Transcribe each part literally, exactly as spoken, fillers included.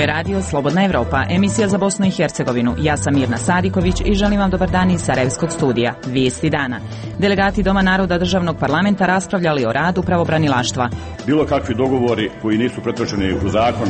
Ovo je radio Slobodna Evropa, emisija za Bosnu i Hercegovinu. Ja sam Mirna Sadiković i želim vam dobar dan iz Sarajevskog studija. Vijesti dana. Delegati Doma naroda državnog parlamenta raspravljali o radu pravobranilaštva. Bilo kakvi dogovori koji nisu pretočeni u zakon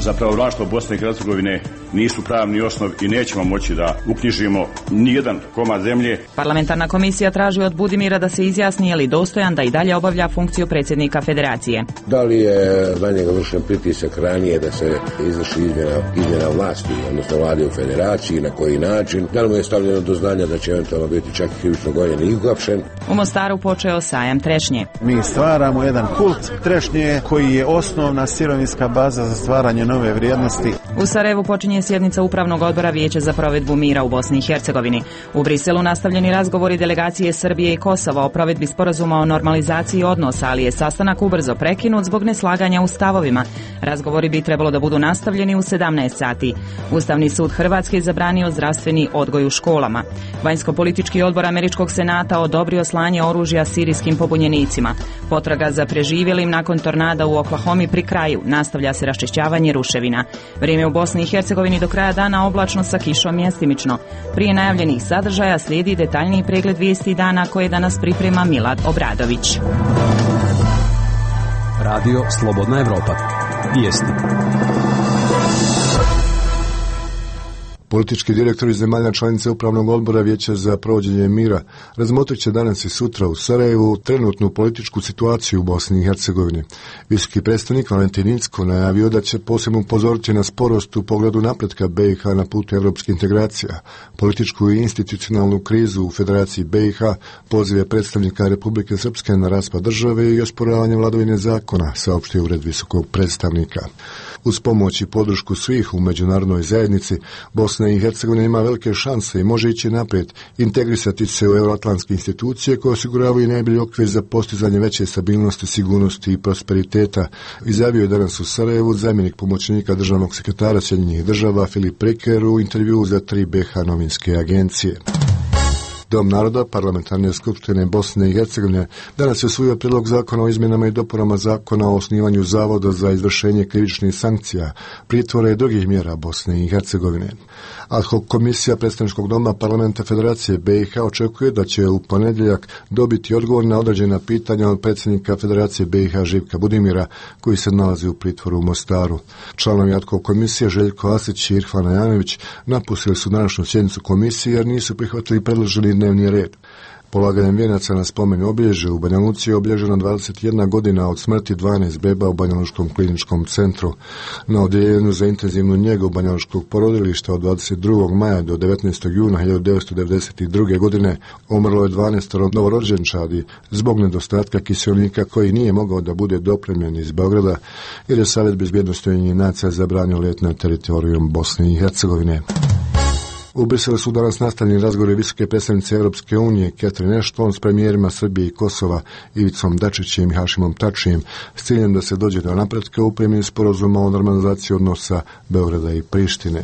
za pravobranilaštvo Bosne i Hercegovine nisu pravni osnov i nećemo moći da uknjižimo nijedan komad zemlje. Parlamentarna komisija traži od Budimira da se izjasni je li dostojan da i dalje obavlja funkciju predsjednika federacije. Da li je na njega vršen pritisak ranije da se izvrši izmjena, izmjena vlasti, odnosno vlade u federaciji, na koji način? Da li mu je stavljeno do znanja da će eventualno biti čak i krivično gonjen i uhapšen? U Mostaru počeo sajam trešnje. Mi stvaramo jedan kult trešnje koji je osnovna sirovinska baza za stvaranje nove vrijednosti. U Sarajevu počinje sjednica Upravnog odbora Vijeća za provedbu mira u Bosni i Hercegovini. U Briselu nastavljeni razgovori delegacije Srbije i Kosova o provedbi sporazuma o normalizaciji odnosa, ali je sastanak ubrzo prekinut zbog neslaganja u stavovima. Razgovori bi trebalo da budu nastavljeni u sedamnaest sati. Ustavni sud Hrvatske je zabranio zdravstveni odgoj u školama. Vanjsko-politički odbor Američkog senata odobrio slanje oružja sirijskim pobunjenicima. Potraga za preživjelim nakon tornada u Oklahomi pri kraju. Nastavlja se raščišćavanje ruševina. Vrijeme u Bosni i Hercegovini do kraja dana oblačno sa kišom mjestimično. Prije najavljenih sadržaja slijedi detaljniji pregled vijesti dana koje danas priprema Milad Obradović. Radio Slobodna Evropa. Vijesti. Politički direktori zemalja članice Upravnog odbora Vijeća za provođenje mira razmotrit će danas i sutra u Sarajevu trenutnu političku situaciju u Bosni i Hercegovini. Visoki predstavnik Valentin Incko najavio da će posebno upozoriti na sporost u pogledu napretka B i H na putu evropskih integracija, političku i institucionalnu krizu u Federaciji B i H, pozive predstavnika Republike Srpske na raspad države i osporavanje vladavine zakona, saopštio ured visokog predstavnika. Uz pomoć i podršku svih u međunarodnoj zajednici, Bosna i Hercegovina ima velike šanse i može ići naprijed, integrisati se u euroatlantske institucije koje osiguravaju najbolji okvir za postizanje veće stabilnosti, sigurnosti i prosperiteta, izjavio je danas u Sarajevu zamjenik pomoćnika državnog sekretara Sjedinjenih država Filip Preker u intervjuu za tri B H novinske agencije. Dom naroda parlamentarne skupštine Bosne i Hercegovine danas je usvojio prijedlog zakona o izmjenama i dopunama zakona o osnivanju zavoda za izvršenje krivičnih sankcija, pritvora i drugih mjera Bosne i Hercegovine. Ad hoc komisija predstavničkog doma parlamenta Federacije B i H očekuje da će u ponedjeljak dobiti odgovor na određena pitanja od predsjednika Federacije B i H Živka Budimira, koji se nalazi u pritvoru u Mostaru. Članovi ad hoc komisije Željko Asić i Irfan Ajanović napustili su današnju sjednicu komisije jer nisu prihvatili predloženi dnevni red. Polaganjem vijenaca na spomen obilježje u Banja Luci je obilježena dvadeset jedna godina od smrti dvanaest beba u Banjalučkom kliničkom centru. Na odjeljenju za intenzivnu njegu Banjalučkog porodilišta od dvadeset drugog maja do devetnaestog juna hiljadu devetsto devedeset druge. godine umrlo je dvanaest novorođenčadi zbog nedostatka kiselnika koji nije mogao da bude dopremljen iz Beograda jer je Savjet bezbjednosti Ujedinjenih nacija zabranio let na teritorijum Bosne i Hercegovine. U Briselu su danas nastavljeni razgovori visoke predstavnice Europske unije Catherine Ashton s premijerima Srbije i Kosova Ivicom Dačićem i Hašimom Tačijem s ciljem da se dođe do napretka u primjeni sporazuma o normalizaciji odnosa Beograda i Prištine.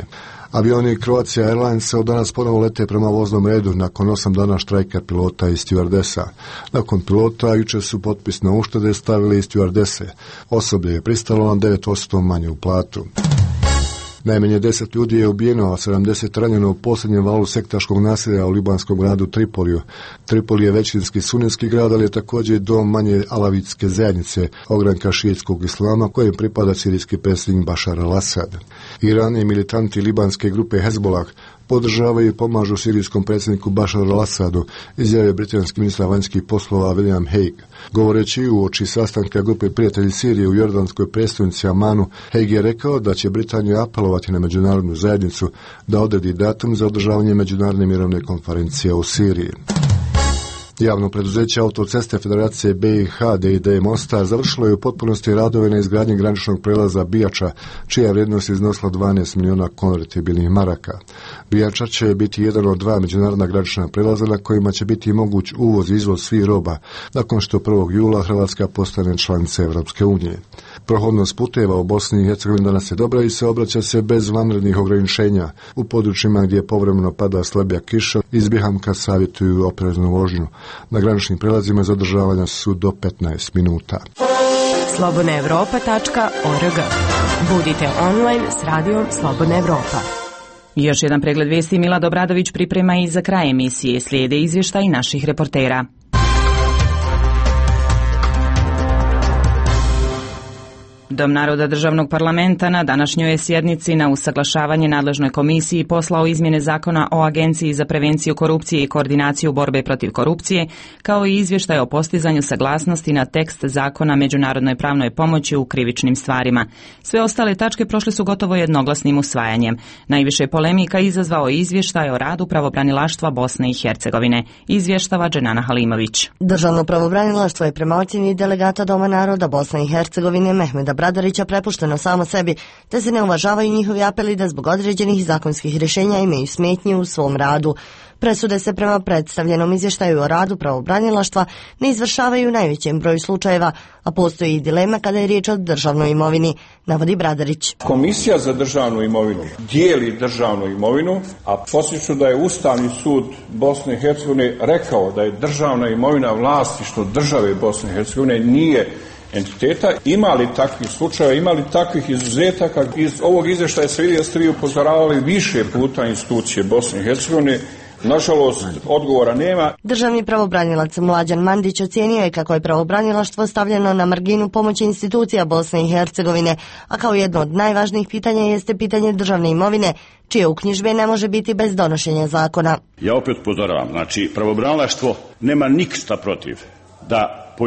Avioni Croatia Airlinesa od danas ponovo lete prema voznom redu nakon osam dana štrajka pilota i stewardesa. Nakon pilota jučer su potpis na uštede stavili i stewardese. Osoblje je pristalo na devet posto manju platu. Najmanje deset ljudi je ubijeno, a sedamdeset ranjeno u posljednjem valu sektaškog nasilja u libanskom gradu Tripoliju. Tripoli je većinski sunetski grad, ali je također dom manje alavitske zajednice, ogranka šiitskog islama kojem pripada sirijski predsjednik Bašar al-Assad. Iran i militanti libanske grupe Hezbollah podržavaju i pomažu sirijskom predsjedniku Bašaru al-Assadu, izjavio britanski ministar vanjskih poslova William Hague. Govoreći u oči sastanka grupe prijatelji Sirije u jordanskoj prestonici Amanu, Hague je rekao da će Britanija apelovati na međunarodnu zajednicu da odredi datum za održavanje međunarodne mirovne konferencije u Siriji. Javno preduzeće Autoceste Federacije B i H D I D Mostar završilo je u potpunosti radove na izgradnji graničnog prelaza Bijača, čija vrijednost iznosila dvanaest milijuna konvertibilnih maraka. Bijača će biti jedan od dva međunarodna granična prelaza na kojima će biti moguć uvoz i izvoz svih roba, nakon što prvog jula Hrvatska postane članica Evropske unije. Prohodnost puteva u Bosni i Hercegovini danas je dobra i se obraća se bez vanrednih ograničenja. U područjima gdje povremeno pada slabija kiša, iz Bihamka savjetuju opreznu vožnju. Na graničnim prelazima zadržavanja su do petnaest minuta. slobodna evropa tačka org. Budite online s radijom Slobodna Evropa. Još jedan pregled vijesti Milad Obradović priprema i za kraj emisije. Slijede izvještaj naših reportera. Dom naroda državnog parlamenta na današnjoj je sjednici na usaglašavanje nadležnoj komisiji poslao izmjene zakona o Agenciji za prevenciju korupcije i koordinaciju borbe protiv korupcije, kao i izvještaj o postizanju saglasnosti na tekst zakona međunarodnoj pravnoj pomoći u krivičnim stvarima. Sve ostale tačke prošle su gotovo jednoglasnim usvajanjem. Najviše polemika izazvao je izvještaj o radu pravobranilaštva Bosne i Hercegovine. Izvještava Dženana Halimović. Državno pravobranilaštvo je prema ocjeni delegata Doma naroda Bosne i Hercegovine Mehmeda Bradarića prepušteno samo sebi, te se ne uvažavaju njihovi apeli da zbog određenih zakonskih rješenja imaju smetnje u svom radu. Presude se prema predstavljenom izvještaju o radu pravobranilaštva ne izvršavaju u najvećem broju slučajeva, a postoji i dilema kada je riječ o državnoj imovini, navodi Bradarić. Komisija za državnu imovinu dijeli državnu imovinu, a podsjećam da je Ustavni sud Bosne i Hercegovine rekao da je državna imovina vlasništvo države Bosne i Hercegovine, nije entiteta. Ima li takvih slučajeva, ima li takvih izuzetaka? Iz ovog izvještaja se vidi da ste vi upozoravali više puta institucije Bosne i Hercegovine. Nažalost, odgovora nema. Državni pravobranilac Mlađan Mandić ocijenio je kako je pravobranilaštvo stavljeno na marginu pomoći institucija Bosne i Hercegovine, a kao jedno od najvažnijih pitanja jeste pitanje državne imovine, čije uknjižbe ne može biti bez donošenja zakona. Ja opet upozoravam, znači pravobranilaštvo nema nikšta protiv da po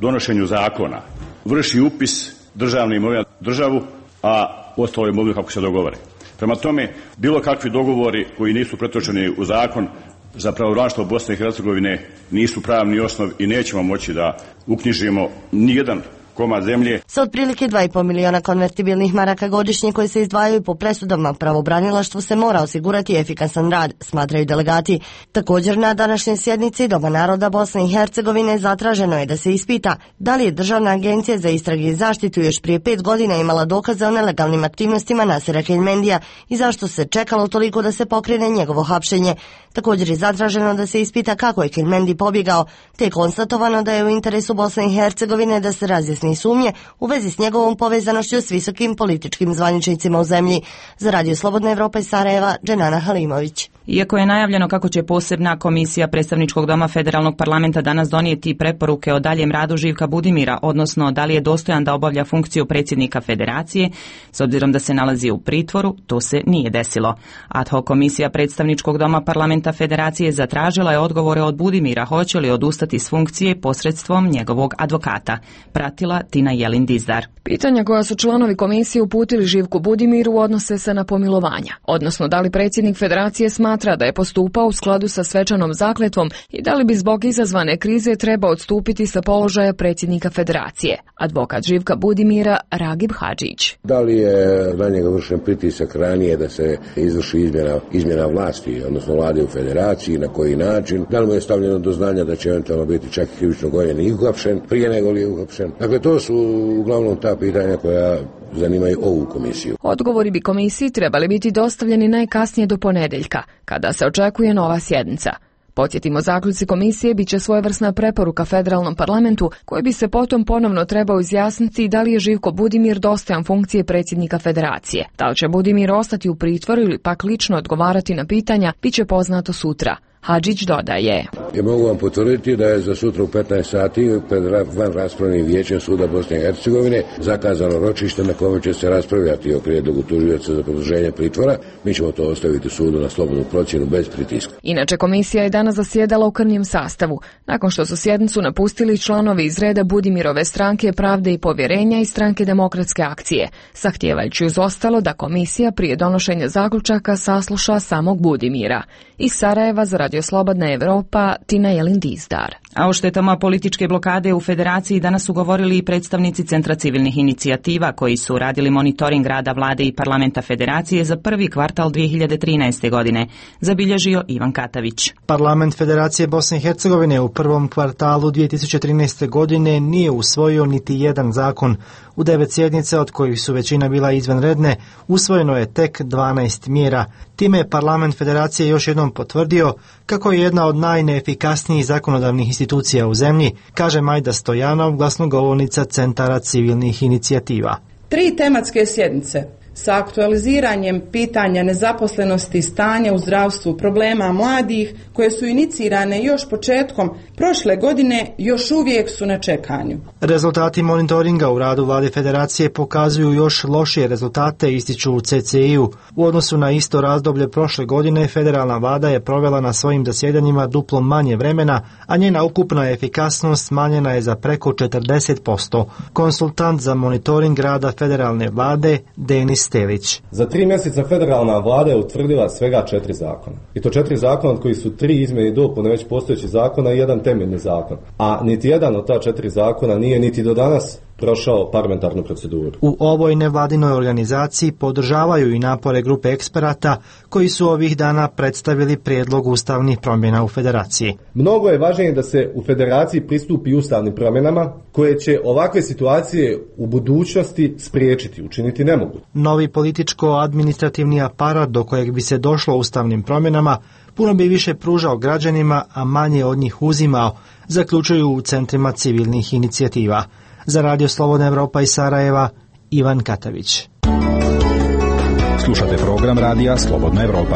donošenju zakona vrši upis državne imovine državu, a ostalo imovinu kako se dogovore. Prema tome, bilo kakvi dogovori koji nisu pretočeni u zakon za pravobranilaštvo Bosne i Hercegovine nisu pravni osnov i nećemo moći da uknjižimo nijedan komad zemlje. Sa otprilike dva i pol miliona konvertibilnih maraka godišnje koji se izdvajaju po presudama, pravobranilaštvu se mora osigurati efikasan rad, smatraju delegati. Također na današnjoj sjednici Doma naroda Bosne i Hercegovine zatraženo je da se ispita da li je Državna agencija za istrage i zaštitu još prije pet godina imala dokaze o nelegalnim aktivnostima Nasera Keljmendija i zašto se čekalo toliko da se pokrene njegovo hapšenje. Također je zatraženo da se ispita kako je Keljmendi pobjegao, te je konstatovano da je u interesu Bosne i Hercegovine da se razjasni sumnje u vezi s njegovom povezanošću s visokim političkim zvaničnicima u zemlji. Za Radio Slobodna Evropa iz Sarajeva, Dženana Halimović. Iako je najavljeno kako će posebna komisija predstavničkog doma federalnog parlamenta danas donijeti preporuke o daljem radu Živka Budimira, odnosno da li je dostojan da obavlja funkciju predsjednika federacije, s obzirom da se nalazi u pritvoru, to se nije desilo. Ad hoc komisija predstavničkog doma parlamenta federacije zatražila je odgovore od Budimira hoće li odustati s funkcije posredstvom njegovog advokata. Pratila Tina Jelin Dizdar. Pitanja koja su članovi komisije uputili Živku Budimiru odnose se na pomilovanja, odnosno da li predsjednik federacije smatra da je postupao u skladu sa svečanom zakletvom i da li bi zbog izazvane krize trebao odstupiti sa položaja predsjednika federacije. Advokat Živka Budimira Ragib Hadžić. Da li je na njega vršen pritisak ranije da se izvrši izmjena, izmjena vlasti, odnosno vlade u federaciji, na koji način? Da li mu je stavljeno do znanja da će eventualno biti čak i krivično gonjen i uhapšen prije nego li je uhapšen? Dakle, to su uglavnom ta pitanja koja zanimaju ovu komisiju. Odgovori bi komisiji trebali biti dostavljeni najkasnije do ponedjeljka, kada se očekuje nova sjednica. Podsjetimo, zaključci komisije bit će svojevrsna preporuka federalnom parlamentu koji bi se potom ponovno trebao izjasniti da li je Živko Budimir dostojan funkcije predsjednika federacije. Da li će Budimir ostati u pritvoru ili pak lično odgovarati na pitanja, bit će poznato sutra. Hadžić dodaje. Ja mogu vam potvrditi da je za sutra u petnaest sati pred van raspravnim vijećem Suda Bosne i Hercegovine zakazano ročište na kojem će se raspravljati o prijedlogu tužioca za produženje pritvora. Mi ćemo to ostaviti sudu na slobodnu procjenu bez pritiska. Inače, komisija je danas zasjedala u krnjem sastavu, nakon što su sjednicu napustili članovi iz reda Budimirove stranke Pravde i povjerenja i stranke Demokratske akcije, zahtijevajući uz ostalo da komisija prije donošenja zaključaka sasluša samog Budimira. Iz Sarajeva za Radio Slobodna Evropa, Tina Jelin Dizdar. A o štetama političke blokade u federaciji danas su govorili i predstavnici Centra civilnih inicijativa koji su radili monitoring rada vlade i parlamenta federacije za prvi kvartal dvije hiljade trinaeste. godine, zabilježio Ivan Katavić. Parlament Federacije Bosne i Hercegovine u prvom kvartalu dvije tisuće trinaeste. godine nije usvojio niti jedan zakon. U devet sjednica, od kojih su većina bila izvanredne, usvojeno je tek dvanaest mjera. Time je Parlament Federacije još jednom potvrdio kako je jedna od najneefikasnijih zakonodavnih institucija institucija u zemlji, kaže Majda Stojanov, glasnogovornica Centara civilnih inicijativa. Tri tematske sjednice sa aktualiziranjem pitanja nezaposlenosti i stanja u zdravstvu, problema mladih koje su inicirane još početkom prošle godine još uvijek su na čekanju. Rezultati monitoringa u radu Vlade Federacije pokazuju još lošije rezultate, ističu u C C I-u. U odnosu na isto razdoblje prošle godine federalna vlada je provela na svojim zasjedanjima duplo manje vremena, a njena ukupna efikasnost smanjena je za preko četrdeset posto. Konsultant za monitoring rada federalne vlade Denis Stelić. Za tri mjeseca federalna vlada je utvrdila svega četiri zakona. I to četiri zakona od koji su tri izmjene i dopune već postojećih zakona i jedan temeljni zakon. A niti jedan od ta četiri zakona nije niti do danas prošao parlamentarnu proceduru. U ovoj nevladinoj organizaciji podržavaju i napore grupe eksperata koji su ovih dana predstavili prijedlog ustavnih promjena u Federaciji. Mnogo je važnije da se u Federaciji pristupi ustavnim promjenama koje će ovakve situacije u budućnosti spriječiti, učiniti nemoguće. Novi političko-administrativni aparat do kojeg bi se došlo ustavnim promjenama puno bi više pružao građanima, a manje od njih uzimao, zaključuju u centrima civilnih inicijativa. Za Radio Slobodna Evropa iz Sarajeva, Ivan Katavić. Slušate program Radija Slobodna Evropa.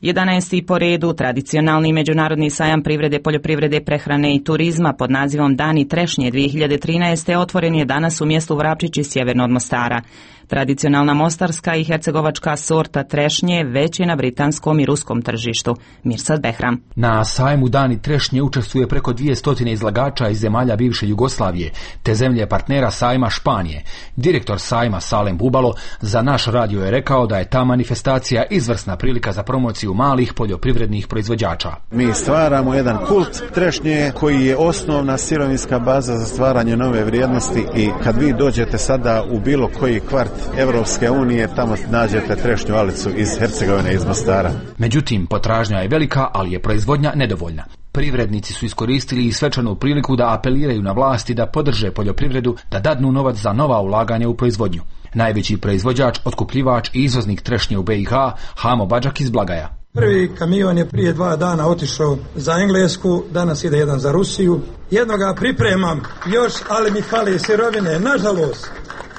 jedanaesti po redu tradicionalni međunarodni sajam privrede, poljoprivrede, prehrane i turizma pod nazivom Dani trešnje dvije hiljade trinaeste otvoren je danas u mjestu Vrapčići sjeverno od Mostara. Tradicionalna mostarska i hercegovačka sorta trešnje već je na britanskom i ruskom tržištu. Mirsad Behram. Na sajmu Dani trešnje učestvuje preko dvjesto izlagača iz zemalja bivše Jugoslavije, te zemlje partnera sajma Španije. Direktor sajma Salem Bubalo za naš radio je rekao da je ta manifestacija izvrsna prilika za promociju malih poljoprivrednih proizvođača. Mi stvaramo jedan kult trešnje koji je osnovna sirovinska baza za stvaranje nove vrijednosti i kad vi dođete sada u bilo koji kvart Evropske unije, tamo nađete trešnju alicu iz Hercegovine, iz Mostara. Međutim, potražnja je velika, ali je proizvodnja nedovoljna. Privrednici su iskoristili i svečanu priliku da apeliraju na vlasti da podrže poljoprivredu, da dadnu novac za nova ulaganja u proizvodnju. Najveći proizvođač, otkupljivač i izvoznik trešnje u B i H, Hamo Badžak iz Blagaja. Prvi kamion je prije dva dana otišao za Englesku, danas ide jedan za Rusiju. Jednoga pripremam još, ali mi fali sirovine, nažalost.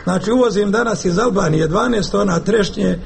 Znači uvozim danas iz Albanije dvanaest tona trešnje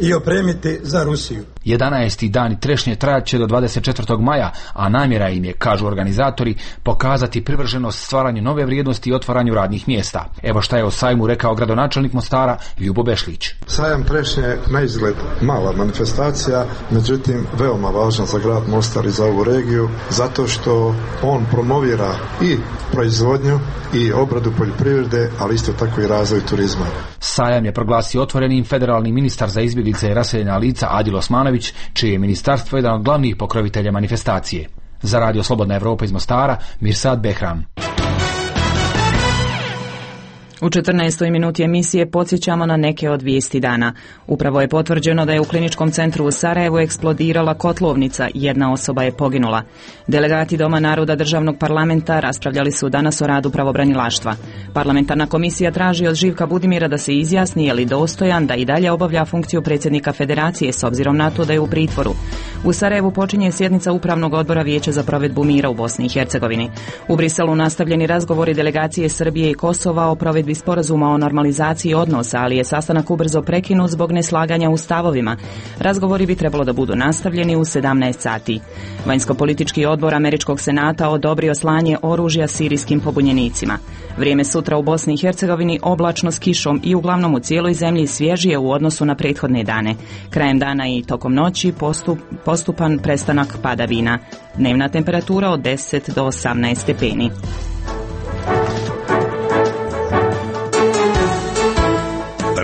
i opremiti za Rusiju. jedanaesti dani trešnje trajat će do dvadeset četvrtog maja, a namjera im je, kažu organizatori, pokazati privrženost stvaranju nove vrijednosti i otvaranju radnih mjesta. Evo šta je o sajmu rekao gradonačelnik Mostara Ljubo Bešlić. Sajam trešnje na izgled mala manifestacija, međutim veoma važna za grad Mostar i za ovu regiju, zato što on promovira i proizvodnju i obradu poljoprivrede, ali isto tako i razvoj turizma. Sajam je proglasio otvorenim federalni ministar za izbjeglice i raseljena lica Adil Osmanović, čije je ministarstvo jedan od glavnih pokrovitelja manifestacije. Za Radio Slobodna Evropa iz Mostara, Mirsad Behram. U četrnaestoj minuti emisije podsjećamo na neke od vijesti dana. Upravo je potvrđeno da je u kliničkom centru u Sarajevu eksplodirala kotlovnica, jedna osoba je poginula. Delegati Doma naroda državnog parlamenta raspravljali su danas o radu pravobranilaštva. Parlamentarna komisija traži od Živka Budimira da se izjasni je li dostojan da i dalje obavlja funkciju predsjednika federacije s obzirom na to da je u pritvoru. U Sarajevu počinje sjednica Upravnog odbora Vijeća za provedbu mira u Bosni i Hercegovini. U Briselu nastavljeni razgovori delegacije Srbije i Kosova o provedbi sporazuma o normalizaciji odnosa, ali je sastanak ubrzo prekinut zbog neslaganja u stavovima. Razgovori bi trebalo da budu nastavljeni u sedamnaest sati. Vanjsko-politički odbor Američkog senata odobrio slanje oružja sirijskim pobunjenicima. Vrijeme sutra u Bosni i Hercegovini oblačno s kišom i uglavnom u cijeloj zemlji svježije u odnosu na prethodne dane. Krajem dana i tokom noći postup, postupan prestanak padavina. Dnevna temperatura od deset do osamnaest stepeni.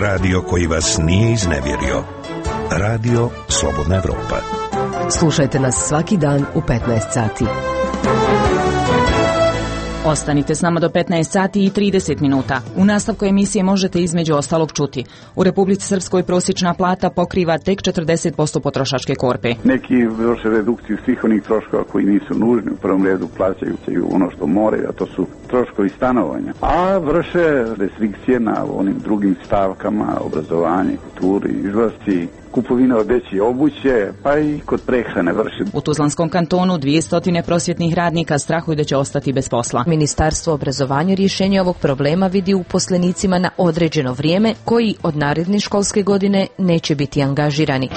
Radio koji vas nije iznevjerio. Radio Slobodna Evropa. Slušajte nas svaki dan u petnaest sati. Ostanite s nama do petnaest sati i trideset minuta. U nastavku emisije možete između ostalog čuti. U Republici Srpskoj prosječna plata pokriva tek četrdeset posto potrošačke korpe. Neki vrše redukciju svih onih troškova koji nisu nužni. U prvom redu plaćaju ono što moraju, a to su troškovi stanovanja. A vrše restrikcije na onim drugim stavkama, obrazovanje, kulturi, izlasci, kupovina odeće obuće, pa i kod prehrane vrši. U Tuzlanskom kantonu dvjesto prosvjetnih radnika strahuju da će ostati bez posla. Ministarstvo obrazovanja rješenje ovog problema vidi u uposlenicima na određeno vrijeme koji od naredne školske godine neće biti angažirani.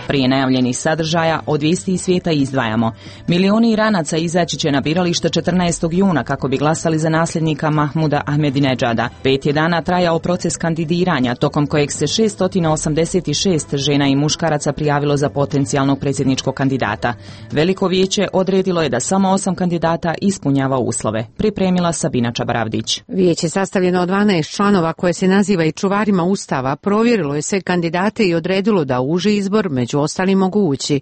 Prije najavljenih sadržaja od vijesti iz svijeta izdvajamo. Milioni Iranaca izaći će na biralište četrnaestog juna kako bi glasali za nasljednika Mahmuda Ahmedinedžada. Pet je dana trajao proces kandidiranja, tokom kojeg se šesto osamdeset šest žena i muškaraca prijavilo za potencijalnog predsjedničkog kandidata. Veliko vijeće odredilo je da samo osam kandidata ispunjava uslove. Pripremila Sabina Čabaravdić. Vijeće sastavljeno od dvanaest članova koje se naziva i čuvarima Ustava provjerilo je sve kandidate i odredilo da uži izbor među ostali mogu ući.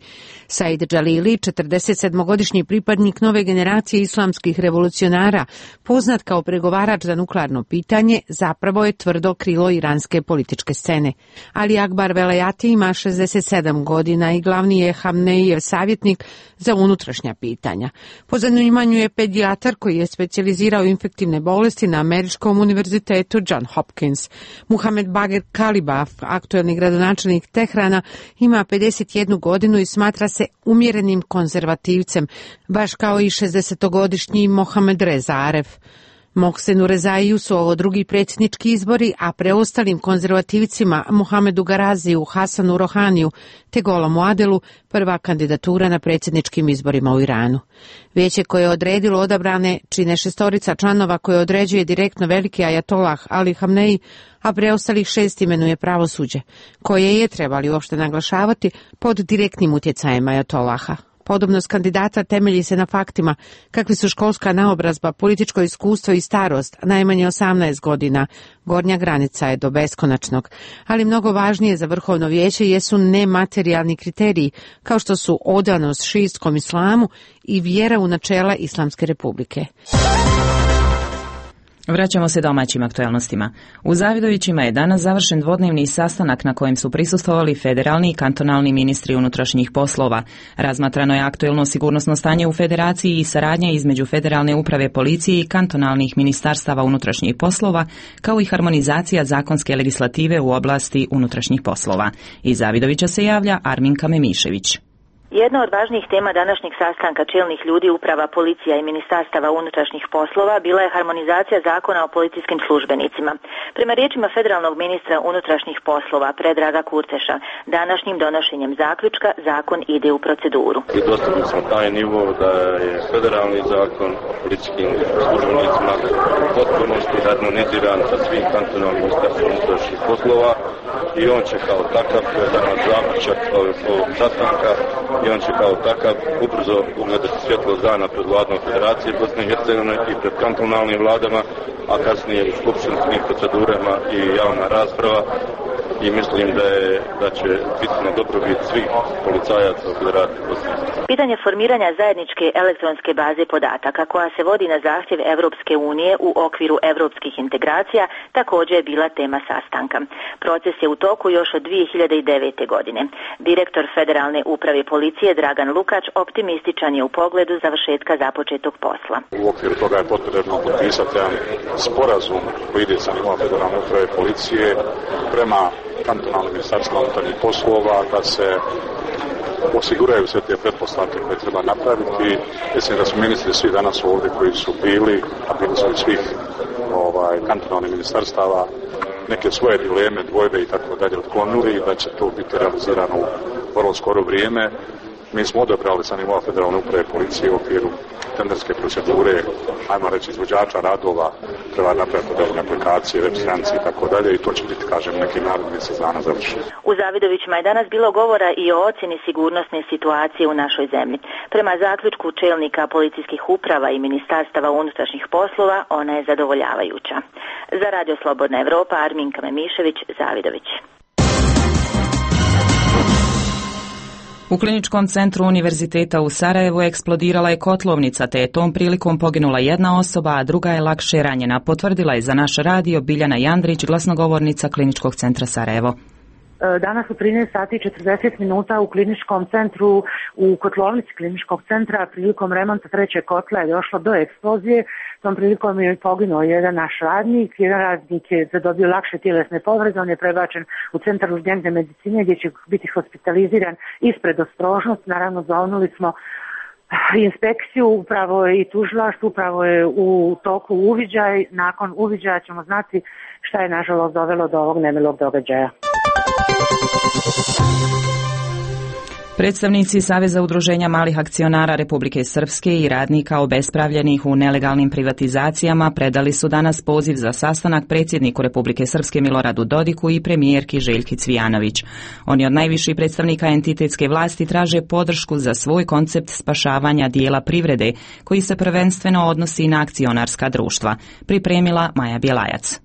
Said Džalili, četrdesetsedmogodišnji pripadnik nove generacije islamskih revolucionara, poznat kao pregovarač za nuklearno pitanje, zapravo je tvrdo krilo iranske političke scene. Ali Akbar Velayati ima šezdeset sedam godina i glavni je Hamneijev savjetnik za unutrašnja pitanja. Po zanimanju je pedijatar koji je specijalizirao infektivne bolesti na Američkom univerzitetu John Hopkins. Muhamed Bagher Kalibaf, aktuelni gradonačelnik Tehrana, ima pedeset jednu godinu i smatra se umjerenim konzervativcem, baš kao i šezdesetogodišnji Mohamed Reza Aref. Mohsenu Rezaiju su ovo drugi predsjednički izbori, a preostalim konzervativcima Mohamedu Garaziju, Hasanu Rohaniju te Golamu Adelu prva kandidatura na predsjedničkim izborima u Iranu. Vijeće koje je odredilo odabrane čine šestorica članova koje određuje direktno veliki ajatolah Ali Hamneji, a preostalih šest imenuje pravosuđe, koje je, trebali uopšte naglašavati, pod direktnim utjecajem ajatolaha. Podobnost kandidata temelji se na faktima kakvi su školska naobrazba, političko iskustvo i starost, najmanje osamnaest godina. Gornja granica je do beskonačnog. Ali mnogo važnije za vrhovno vijeće jesu nematerijalni kriteriji, kao što su odanost šiitskom islamu i vjera u načela Islamske republike. Vraćamo se domaćim aktualnostima. U Zavidovićima je danas završen dvodnevni sastanak na kojem su prisustvovali federalni i kantonalni ministri unutrašnjih poslova. Razmatrano je aktuelno sigurnosno stanje u federaciji i saradnja između federalne uprave policije i kantonalnih ministarstava unutrašnjih poslova, kao i harmonizacija zakonske legislative u oblasti unutrašnjih poslova. Iz Zavidovića se javlja Arminka Memišević. Jedna od važnijih tema današnjeg sastanka čelnih ljudi uprava policija i ministarstava unutrašnjih poslova bila je harmonizacija zakona o policijskim službenicima. Prema riječima federalnog ministra unutrašnjih poslova Predraga Kurteša, današnjim donošenjem zaključka zakon ide u proceduru. I dostigli smo taj nivo da je federalni zakon o policijskim službenicima u potpunosti harmoniziran sa svim kantonalnim ministarstvima unutrašnjih poslova i on će kao takav, to je danas zaključak ovog sastanka, i on će kao takav ubrzo ugledati svjetlo dana pred vladom Federacije Bosne i Hercegovine i pred kantonalnim vladama, a kasnije i skupštinskim procedurama i javna rasprava. I mislim da je da će biti na dobrobit svih policajaca u Federaciji Bosne i Hercegovine. Pitanje formiranja zajedničke elektronske baze podataka koja se vodi na zahtjev Europske unije u okviru europskih integracija također je bila tema sastanka. Proces je u toku još od dvije hiljade devete. godine. Direktor Federalne uprave policije Dragan Lukač optimističan je u pogledu završetka započetog posla. U okviru toga je potrebno potpisati jedan sporazum koji ide sa nivoa Federalne uprave policije prema kantonalnim ministarstvima unutarnjih poslova da se osiguraju sve te pretpostavke koje treba napraviti. Mislim da su ministri svi danas ovdje koji su bili, a bili su i svih ovaj, kantonalnih ministarstava, neke svoje dileme, dvojbe i tako dalje otklonili i da će to biti realizirano u vrlo skoro vrijeme. Mi smo odabrali sa nivoa Federalne uprave policije u okviru tenderske procedure, ajmo reći, izvođača radova, treba napraviti određene aplikacije, web stranice i tako dalje i to će biti, kažem, neki naredni mjesec dana završeno. U Zavidovićima je danas bilo govora i o ocjeni sigurnosne situacije u našoj zemlji. Prema zaključku čelnika policijskih uprava i ministarstava unutrašnjih poslova, ona je zadovoljavajuća. Za Radio Slobodna Evropa, Arminka Memišević, Zavidović. U kliničkom centru Univerziteta u Sarajevu eksplodirala je kotlovnica, te je tom prilikom poginula jedna osoba, a druga je lakše ranjena, potvrdila je za naš radio Biljana Jandrić, glasnogovornica Kliničkog centra Sarajevo. danas u trinaest sati i četrdeset minuta u kliničkom centru, u kotlovnici kliničkog centra, prilikom remonta trećeg kotla je došlo do eksplozije. Tom prilikom je poginuo jedan naš radnik, jedan radnik je zadobio lakše tjelesne povrede, on je prebačen u centar urgentne medicine gdje će biti hospitaliziran ispred ostrožnost. Naravno, zovnuli smo inspekciju, upravo i tužilaštvo, upravo je u toku uviđaj. Nakon uviđaja ćemo znati šta je nažalost dovelo do ovog nemilog događaja. Predstavnici Saveza udruženja malih akcionara Republike Srpske i radnika obespravljenih u nelegalnim privatizacijama predali su danas poziv za sastanak predsjedniku Republike Srpske Miloradu Dodiku i premijerki Željki Cvijanović. Oni od najviših predstavnika entitetske vlasti traže podršku za svoj koncept spašavanja dijela privrede, koji se prvenstveno odnosi na akcionarska društva. Pripremila Maja Bjelajac.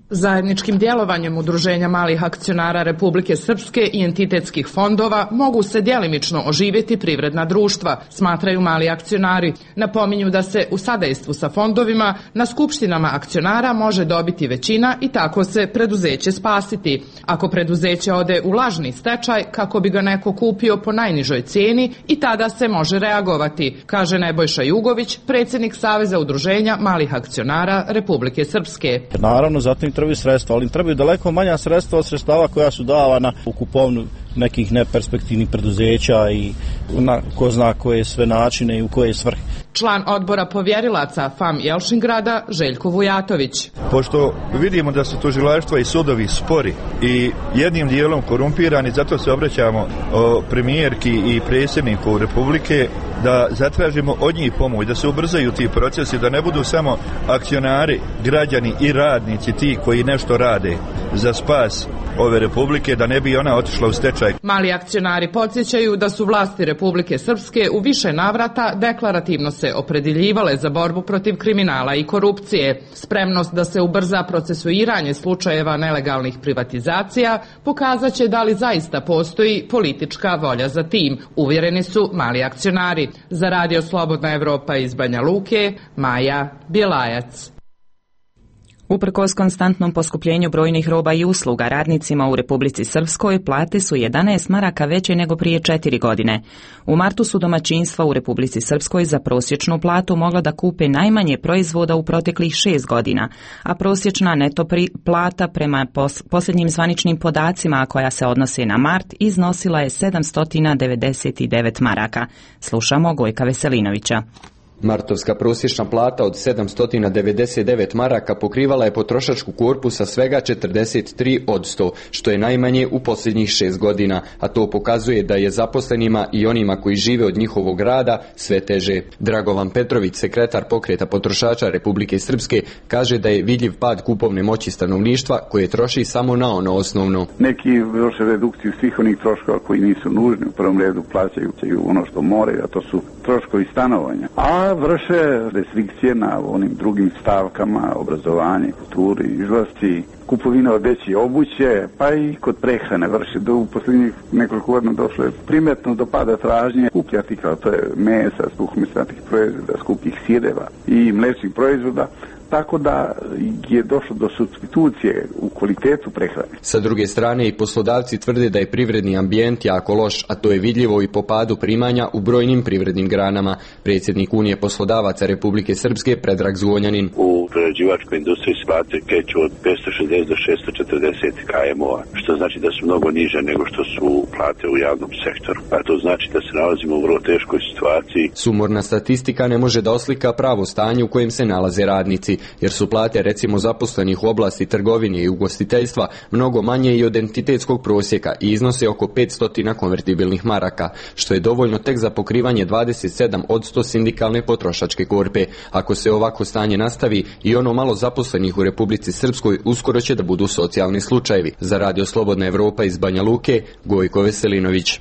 Zajedničkim djelovanjem Udruženja malih akcionara Republike Srpske i entitetskih fondova mogu se djelimično oživjeti privredna društva, smatraju mali akcionari. Napominju da se u sadejstvu sa fondovima na skupštinama akcionara može dobiti većina i tako se preduzeće spasiti. Ako preduzeće ode u lažni stečaj kako bi ga neko kupio po najnižoj cijeni, i tada se može reagovati, kaže Nebojša Jugović, predsjednik Saveza udruženja malih akcionara Republike Srpske. Naravno, zatim trebaju sredstva, ali im trebaju daleko manja sredstva od sredstava koja su davana u kupovnu nekih neperspektivnih preduzeća i na ko zna koje sve načine i u koje svrhe. Član odbora povjerilaca F A M Jelšingrada Željko Vujatović. Pošto vidimo da su tužilaštva i sudovi spori i jednim dijelom korumpirani, zato se obraćamo o premijerki i predsjedniku Republike da zatražimo od njih pomoć, da se ubrzaju ti procesi, da ne budu samo akcionari, građani i radnici ti koji nešto rade za spas ove Republike, da ne bi ona otišla u stečaj. Mali akcionari podsjećaju da su vlasti Republike Srpske u više navrata deklarativno se opredjeljivale za borbu protiv kriminala i korupcije. Spremnost da se ubrza procesuiranje slučajeva nelegalnih privatizacija pokazat će da li zaista postoji politička volja za tim, uvjereni su mali akcionari. Za Radio Slobodna Evropa iz Banja Luke, Maja Bjelajac. Uprkos konstantnom poskupljenju brojnih roba i usluga, radnicima u Republici Srpskoj plate su jedanaest maraka veće nego prije četiri godine. U martu su domaćinstva u Republici Srpskoj za prosječnu platu mogla da kupe najmanje proizvoda u proteklih šest godina, a prosječna neto plata prema pos- posljednjim zvaničnim podacima, koja se odnose na mart, iznosila je sedamsto devedeset devet maraka. Slušamo Gojka Veselinovića. Martovska prosječna plata od sedamsto devedeset devet maraka pokrivala je potrošačku korpu sa svega četrdeset tri posto, što je najmanje u posljednjih šest godina, a to pokazuje da je zaposlenima i onima koji žive od njihovog rada sve teže. Dragovan Petrović, sekretar pokreta potrošača Republike Srpske, kaže da je vidljiv pad kupovne moći stanovništva koje troši samo na ono osnovno. Neki vrše redukciju svih onih troškova koji nisu nužni, u prvom redu plaćaju ono što moraju, a to su troškovi stanovanja. A vrše restrikcije na onim drugim stavkama, obrazovanje, kulturi, izlasti, kupovina odeće, obuće, pa i kod prehrane vrše. Do u posljednjih nekoliko godina došlo je primjetno do pada tražnje skupih artikala, to je mesa, suhomesnatih proizvoda, skupih sireva i mlečnih proizvoda, tako da je došlo do supstitucije u kvalitetu prehrane. Sa druge strane, i poslodavci tvrde da je privredni ambijent jako loš, a to je vidljivo i po padu primanja u brojnim privrednim granama. Predsjednik Unije poslodavaca Republike Srpske Predrag Zvonjanin. U prerađivačkoj industriji se plate kreću od petsto šezdeset do šesto četrdeset km-a, što znači da su mnogo niže nego što su plate u javnom sektoru. A to znači da se nalazimo u vrlo teškoj situaciji. Sumorna statistika ne može da oslika pravo stanje u kojem se nalaze radnici, jer su plate recimo zaposlenih u oblasti trgovine i ugostiteljstva mnogo manje i od entitetskog prosjeka i iznose oko petsto konvertibilnih maraka, što je dovoljno tek za pokrivanje dvadeset sedam posto sindikalne potrošačke korpe. Ako se ovako stanje nastavi, i ono malo zaposlenih u Republici Srpskoj uskoro će da budu socijalni slučajevi. Za Radio Slobodna Evropa iz Banja Luke, Gojko Veselinović.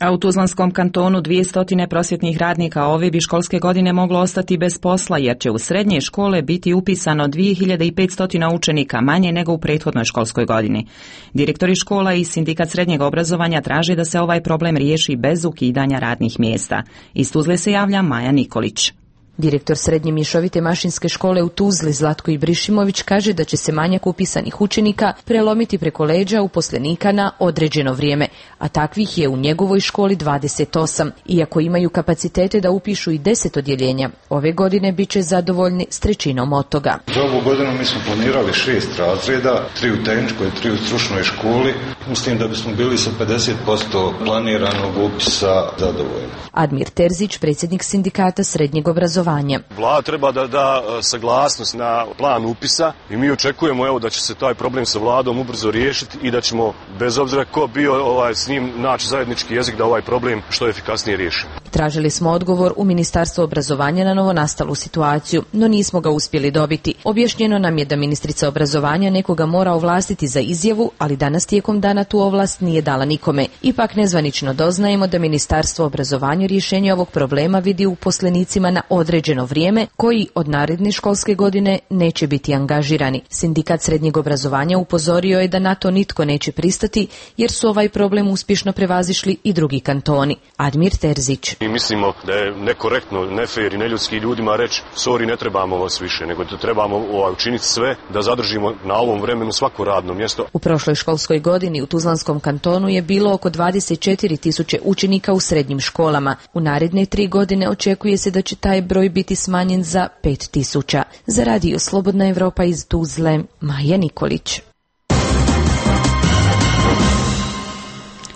A u Tuzlanskom kantonu dvjesto prosvjetnih radnika ove bi školske godine moglo ostati bez posla, jer će u srednje škole biti upisano dvije hiljade petsto učenika manje nego u prethodnoj školskoj godini. Direktori škola i sindikat srednjeg obrazovanja traže da se ovaj problem riješi bez ukidanja radnih mjesta. Iz Tuzle se javlja Maja Nikolić. Direktor Srednje mješovite mašinske škole u Tuzli Zlatko Ibrišimović kaže da će se manjak upisanih učenika prelomiti preko leđa uposlenika na određeno vrijeme, a takvih je u njegovoj školi dvadeset osam. Iako imaju kapacitete da upišu i deset odjeljenja, ove godine bit će zadovoljni s trećinom od toga. Za ovu godinu mi smo planirali šest razreda, tri u tehničkoj, tri u stručnoj školi. Mislim da bismo bili sa pedeset posto planiranog upisa zadovoljni. Admir Terzić, predsjednik sindikata srednjeg obrazovanja. Vlada treba da da saglasnost na plan upisa i mi očekujemo evo da će se taj problem sa vladom ubrzo riješiti i da ćemo, bez obzira ko bio ovaj, s njim, naći zajednički jezik da ovaj problem što efikasnije riješi. Tražili smo odgovor u Ministarstvu obrazovanja na novonastalu situaciju, no nismo ga uspjeli dobiti. Objašnjeno nam je da ministrica obrazovanja nekoga mora ovlastiti za izjavu, ali danas tijekom dana tu ovlast nije dala nikome. Ipak nezvanično doznajemo da Ministarstvo obrazovanja rješenje ovog problema vidi u uposlenicima na određeno vrijeme koji od naredne školske godine neće biti angažirani. Sindikat srednjeg obrazovanja upozorio je da na to nitko neće pristati jer su ovaj problem uspješno prevazišli i drugi kantoni. Admir Terzić. Mi mislimo da je nekorektno, nefer i neljudski ljudima reći sorry, ne trebamo vas više, nego da trebamo ovaj, učiniti sve da zadržimo na ovom vremenu svako radno mjesto. U prošloj školskoj godini u Tuzlanskom kantonu je bilo oko dvadeset četiri tisuće učenika u srednjim školama. U naredne tri godine očekuje se da će taj broj biti smanjen za pet tisuća. Za radio Slobodna Evropa iz Tuzle, Maja Nikolić.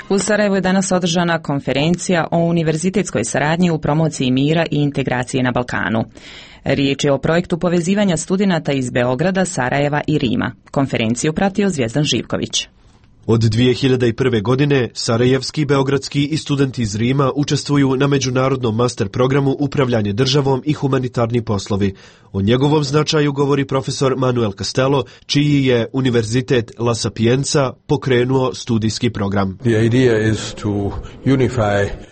U Sarajevu je danas održana konferencija o univerzitetskoj saradnji u promociji mira i integracije na Balkanu. Riječ je o projektu povezivanja studenata iz Beograda, Sarajeva i Rima. Konferenciju pratio Zvjezdan Živković. Od dvije hiljade prve. godine sarajevski, beogradski i studenti iz Rima učestvuju na međunarodnom master programu Upravljanje državom i humanitarni poslovi. O njegovom značaju govori profesor Manuel Castello, čiji je Univerzitet La Sapienza pokrenuo studijski program.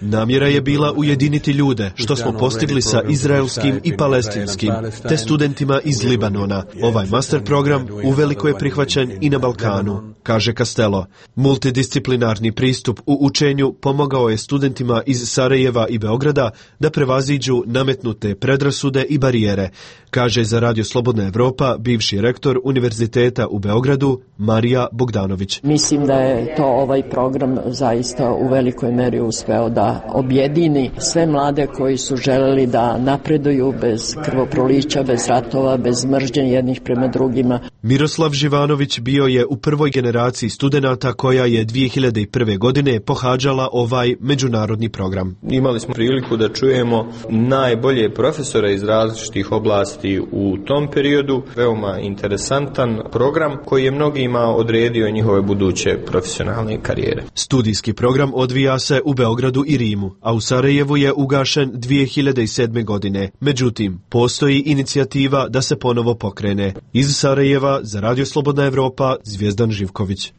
Namjera je bila ujediniti ljude, što smo postigli sa izraelskim i palestinskim, te studentima iz Libanona. Ovaj master program uveliko je prihvaćen i na Balkanu, kaže Castello. Multidisciplinarni pristup u učenju pomogao je studentima iz Sarajeva i Beograda da prevaziđu nametnute predrasude i barijere, kaže za Radio Slobodna Evropa bivši rektor Univerziteta u Beogradu Marija Bogdanović. Mislim da je to ovaj program zaista u velikoj meri uspeo da objedini sve mlade koji su želeli da napreduju bez krvoprolića, bez ratova, bez mržnje jednih prema drugima. Miroslav Živanović bio je u prvoj generaciji studenata koja je dvije hiljade prve. godine pohađala ovaj međunarodni program. Imali smo priliku da čujemo najbolje profesore iz različitih oblasti u tom periodu. Veoma interesantan program koji je mnogima odredio njihove buduće profesionalne karijere. Studijski program odvija se u Beogradu i Rimu, a u Sarajevu je ugašen dvije hiljade sedme. godine. Međutim, postoji inicijativa da se ponovo pokrene. Iz Sarajeva za Radio Slobodna Evropa Zvjezdan Živković.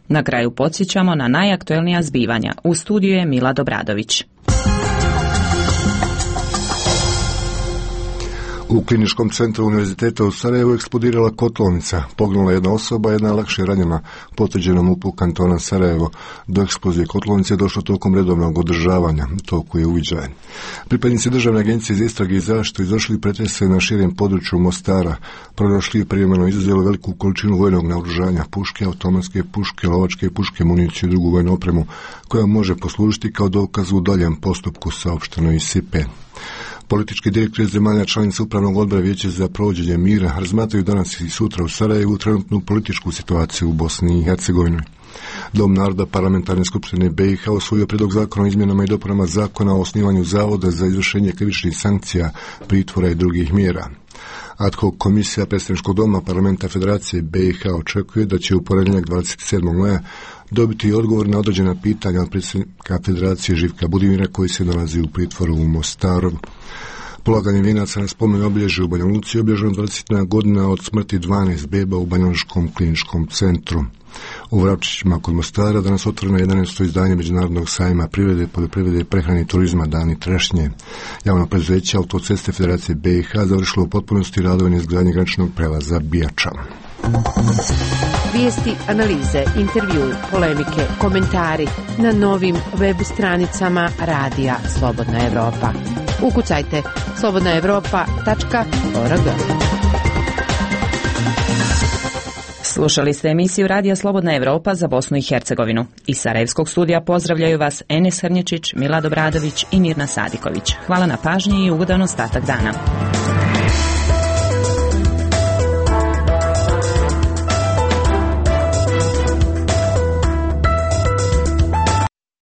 Na kraju podsjećamo na najaktuelnija zbivanja. U studiju je Mila Dobradović. U kliničkom centru Univerziteta u Sarajevu eksplodirala kotlovnica. Poginula jedna osoba, jedna je lakše ranjena, potvrđeno MUP-u kantona Sarajevo. Do eksplozije kotlovnice je došlo tokom redovnog održavanja, toku je uviđajen. Pripadnici Državne agencije za istrage i zaštitu izvršili pretrese na širem području Mostara. Pronašli privremeno izuzeli veliku količinu vojnog naoružanja, puške, automatske puške, lovačke puške, municiju i drugu vojnu opremu, koja može poslužiti kao dokaz u daljem postupku, saopšteno iz S I P E. Politički direktori zemalja članica Upravnog odbora Vijeća za provođenje mira razmatraju danas i sutra u Sarajevu trenutnu političku situaciju u Bosni i Hercegovini. Dom naroda Parlamentarne skupštine B i H usvojio prijedlog zakona o izmjenama i dopunama zakona o osnivanju zavoda za izvršenje krivičnih sankcija, pritvora i drugih mjera. Ad hoc komisija predstavničkog doma Parlamenta Federacije B i H očekuje da će u ponedjeljak dvadeset sedmog maja dobiti odgovor na određena pitanja od predsjednika Federacije Živka Budimira koji se nalazi u pritvoru u Mostaru. Polaganje vijenaca na spomen obilježje u Banja Luci je obilježeno dvadesetna godina od smrti dvanaest beba u Banjalučkom kliničkom centru. U Vrapčićima kod Mostara danas otvoreno jedanaesto izdanje Međunarodnog sajma privrede, poljoprivrede, prehrane i turizma Dani trešnje. Javno preduzeće Autoceste Federacije B i H završilo u potpunosti radove na izgradnji graničnog prelaza Bijača. Vijesti, analize, intervju, polemike, komentari na novim web stranicama Radija Slobodna Evropa. Ukucajte slobodna evropa tačka org. Slušali ste emisiju Radija Slobodna Evropa za Bosnu i Hercegovinu. Iz Sarajevskog studija pozdravljaju vas Enes Hrnječić, Milad Obradović i Mirna Sadiković. Hvala na pažnji i ugodan ostatak dana.